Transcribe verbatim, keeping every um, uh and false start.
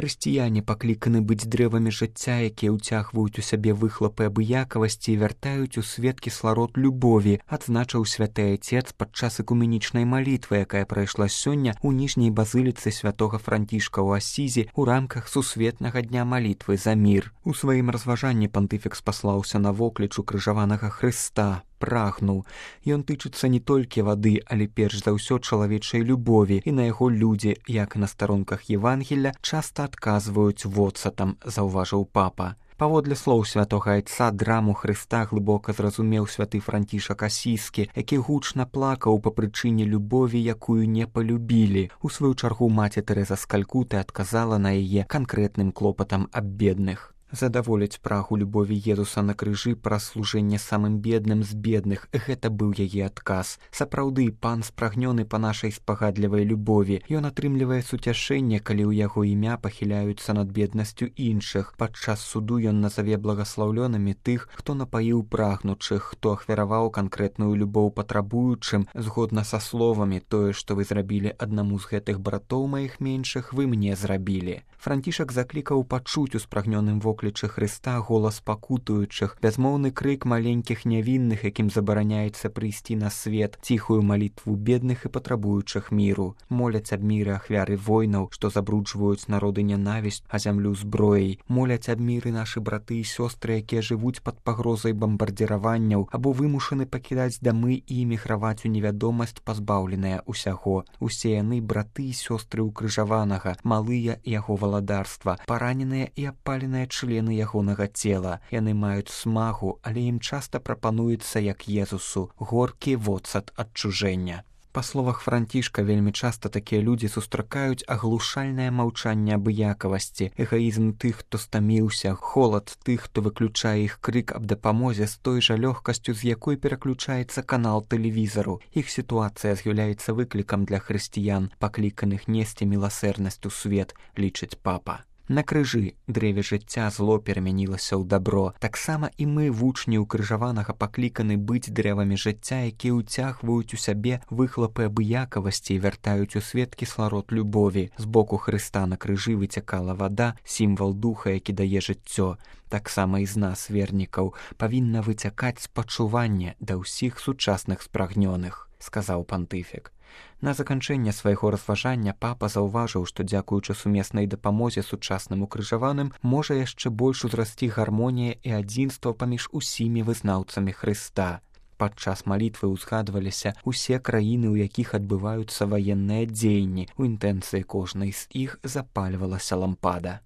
Хрысціяне пакліканы быць дрэвамі жыцця, якія ўцягваюць у сябе выхлапы абыякавасці і вяртаюць у свет кісларод любові, адзначыў святы Айцец падчас экуменічнай малітвы, якая прайшла сёння ў ніжняй базыліцы святога Францішка ў Асізі ў рамках сусветнага дня малітвы за мір. У сваім разважанні пантыфік спаслаўся на вокліч укрыжаванага Хрыста, прагнуў. Ён тычыцца не толькі вады, але перш за ўсё чалавечай любові, і на яго людзі, як і на старонках Евангелля, часта адказваюць воцатам, заўважыў папа. Паводле слоў святога Айца, драму Хрыста глыбока зразумеў святы Францішак Асізскі, які гучна плакаў па прычыне любові, якую не палюбілі. У сваю чаргу маці Тэрэза з Калькуты адказала на яе канкрэтным клопатам аб бедных. Задаволіць прагу любові Езуса на крыжы праз служэнне самым бедным з бедных – гэта быў яе адказ. Сапраўды, пан спрагнёны па нашай спагадлівай любові. Ён атрымлівае суцяшэнне, калі ў яго імя пахіляюцца над беднасцю іншых. Падчас суду ён назаве благаслаўлёнымі тых, хто напаіў прагнучых, хто ахвяраваў канкрэтную любоў патрабуючым, згодна са словамі «Тое, што вы зрабілі аднаму з гэтых братоў маіх меншых, вы мне зрабілі». Францішак заклікаў пачуць у спрагнёным воклічы Хрыста голас пакутуючых, бязмоўны крык маленькіх нявінных, якім забараняецца прыйсці на свет, ціхую малітву бедных і патрабуючых міру. Моляць аб міры ахвяры войнаў, што забруджваюць народы нянавісць, а зямлю зброяй. Моляць аб міры нашы браты і сёстры, якія жывуць пад пагрозай бамбардзіраванняў або вымушаны пакідаць дамы і эміграваць у невядомасць, пазбаўленыя ўсяго. Усе яны браты і сёстры укрыжаванага, малыя яго валадарства, параненыя і абпаленыя члены ягонага цела. Яны маюць смагу, але ім часта прапануецца, як Езусу, горкі воцат адчужэння. Па словах Францішка, вельмі часта такія людзі сустракаюць аглушальнае маўчанне абыякавасці, эгаізм тых, хто стаміўся, холад тых, хто выключае іх крык аб дапамозе з той жа лёгкасцю, з якой пераключаецца канал тэлевізару. Іх сітуацыя з'яўляецца выклікам для хрысціян, пакліканых несці міласэрнасць у свет, лічыць папа. На крыжы дрэве жыцця зло перамянілася ў дабро. Таксама і мы, вучні укрыжаванага, пакліканы быць дрэвамі жыцця, якія ўцягваюць у сябе выхлапы абыякавасці і вяртаюць у свет кісларод любові. З боку Хрыста на крыжы выцякала вада, сімвал духа, які дае жыццё. Таксама і з нас, вернікаў, павінна выцякаць спачуванне да ўсіх сучасных спрагнёных, сказаў пантыфік. На заканчэнне свайго разважання папа заўважыў, што дзякуючы сумеснай дапамозе сучасным укрыжаваным можа яшчэ больш узрасці гармонія і адзінства паміж усімі вызнаўцамі Хрыста. Падчас малітвы ўзгадваліся ўсе краіны, у якіх адбываюцца ваенныя дзеянні. У інтэнцыі кожнай з іх запальвалася лампада.